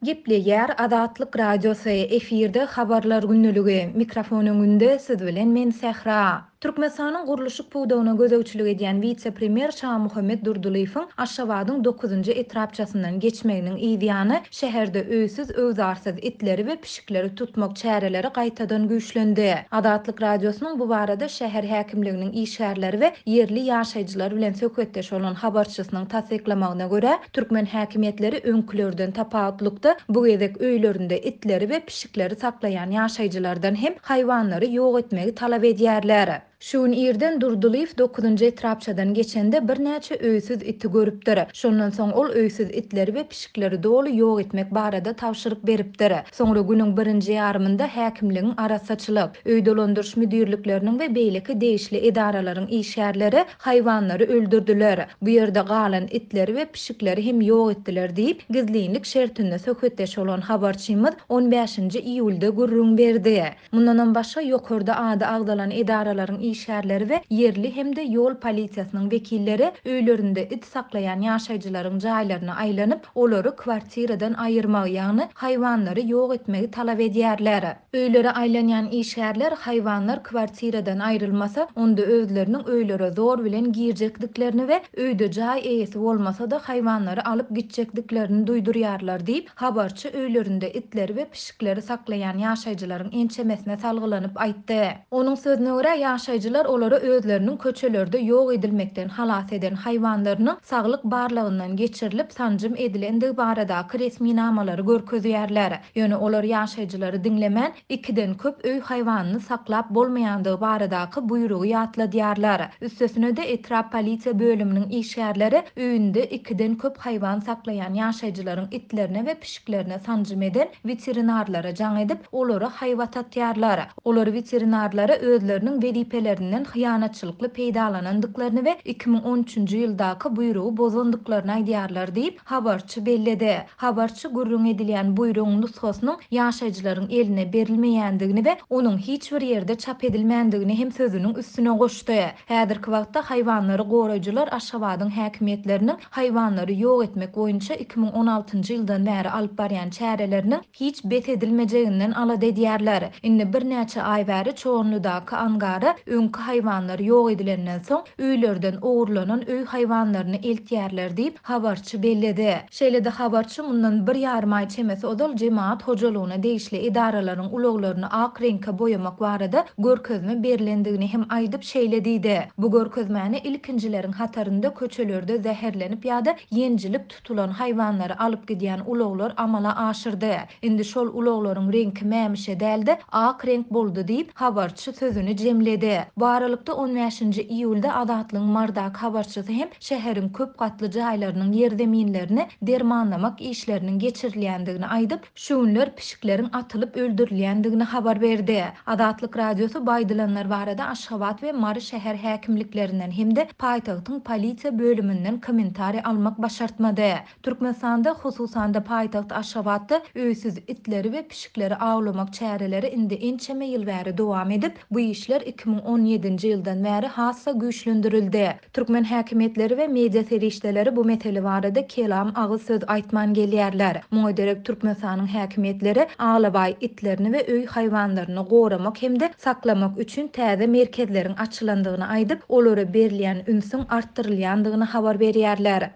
Gepleýär Azatlyk Radiosy, efirde Habarlar gündeligi, mikrofon öňünde siz bilen men Sähra. Türkmenistanyň gurluşyk pudagyna gözegçilik edýän wise-premýer Şamuhammet Durdylyýewiň Aşgabadyň dokuzynjy etrapçasyndan geçmeginiň yzýany şäherde öýsüz-öwzarsyz itleri we pişikleri tutmak çäreleri gaýtadan güýçlendi. Azatlyk Radiosynyň bu barada şäher häkimliginiň işgärleri we ýerli ýaşaýjylar bilen söhbetdeş bolan habarçysynyň tassyklamagyna görä, Türkmen häkimiýetleri öňkülerden tapawutlykda, bu gezek öýlerinde itleri we pişikleri saklaýan ýaşaýjylardan hem haýwanlary ýok etmegi talap edýärler. Şu gün irden Durdylyýew dokuzynjy etrapçadan geçende birnäçe öýsüz iti görüpdir. Şondan soň ol öýsüz itleri we pişikleri doly ýok etmek barada tabşyryk beripdir. Soňra günüň birinji ýarymynda häkimligiň arassaçylyk, öý dolandyryş müdirlikleriniň we beýleki degişli edaralaryň işgärleri haýwanlary öldürdiler. Bu ýerde galan itleri we pişikleri hem ýok etdiler diýip, gizlinlik şertinde söhbetdeş bolan habarçymyz on bäşinji iýulda gürrüň berdi. Mundanam başga, ýokarda ady agzalan edaralaryň işgärleri we ýerli hem-de ýol polisiýasynyň wekilleri öýlerinde it saklaýan ýaşaýjylaryň jaýlaryna aýlanyp, olary kwartiradan aýyrmagy, ýagny haýwanlary ýok etmegi talap edýärler. Öýlere aýlanýan işgärler haýwanlar kwartiradan aýrylmasa, onda özleriniň öýlere zor bilen girjekdiklerini we öýde jaý eýesi bolmasa-da haýwanlary alyp gitjekdiklerini duýdurýarlar diýip, habarçy öýlerinde itleri we pişikleri saklaýan ýaşaýjylaryň ençemesine salgylanyp aýtdy. Onuň sözüne görä, ýaşaýjylar olara özleriniň köçelerde ýok edilmekden halas eden haýwanlarynyň saglyk barlagyndan geçirilip, sanjym edilendigi baradaky resminamalary görkezýärler. Ýöne olar ýaşaýjylary diňlemän, ikiden köp öý haýwanyny saklap bolmaýandygy baradaky buýrugy ýatladýarlar. Üstesine-de, etrap polisiýa bölüminiň işgärleri öýünde ikiden köp haýwan saklaýan ýaşaýjylaryň itlerine we pişiklerine sanjym eden weterinarlara jaň edip, olara haýbat atýarlar. Olar weterinarlara özleriniň wezipelerinden hyýanatçylykly peýdalanandyklaryny we 2013-nji ýyldaky buýrugy bozandyklaryny aýdýarlar diýip, habarçy belledi. Habarçy gürrüň edilýän buýrugyň nusgasynyň ýaşaýjylaryň eline berilmeýändigini we onuň hiç bir ýerde çap edilmändigini hem sözüniň üstüne goşdy. Häzirki wagtda haýwanlary goraýjylar Aşgabadyň häkimiýetleriniň haýwanlary ýok etmek boýunça 2016-njy ýyldan bäri alyp barýan çäreleriniň hiç bes edilmejeginden alada edýärler. Indi birnäçe aý bäri Çoganlydaky angara öňki haýwanlar ýok edilenden soň, öýlerden ogurlanan öý haýwanlaryny eltýärler diýip, habarçy belledi. Şeýle-de habarçy mundan bir ýarym aý çemesi ozal jemagat hojalygyna degişli edaralaryň ulaglaryny ak reňke boýamak barada görkezme berlendigini hem aýdyp, şeýle diýdi, Bu görkezmäni ilkinjileriň hatarynda köçelerde zäherlenip ýa-da ýenjilip tutulan haýwanlary alyp gidýän ulaglar amala aşyrdy. Indi şol ulaglaryň reňki mämişe däl-de, ak reňk boldy diýip, habarçy sözüni jemledi. Bu aralykda, on bäşinji iýulda Azatlygyň Mardaky habarçysy hem şäheriň köp gatly jaýlarynyň ýerzeminlerini dermanlamak işleriniň geçirilýändigini aýdyp, şu günler pişikleriň atylyp öldürilýändigini habar berdi. Azatlyk Radiosy bu aýdylanlar barada Aşgabat we Mary şäher häkimliklerinden hem-de paýtagtyň polisiýa bölüminden kommentariý almak başartmady. Türkmenistanda, hususan-da paýtagt Aşgabatda öýsüz itleri we pişikleri awlamak çäreleri indi ençeme ýyl bäri dowam edip, bu işler 2017-nji ýyldan bäri has-da güýçlendirildi. Türkmen häkimiýetleri we media serişdeleri bu mesele barada kelam agyz söz aýtman gelýärler. Muňa derek Türkmenistanyň häkimiýetleri alabaý itlerini we öý haýwanlaryny goramak hem-de saklamak üçin täze merkezleriň açylandygyny aýdyp, olara berilýän ünsüň artdyrylýandygyny habar berýärler.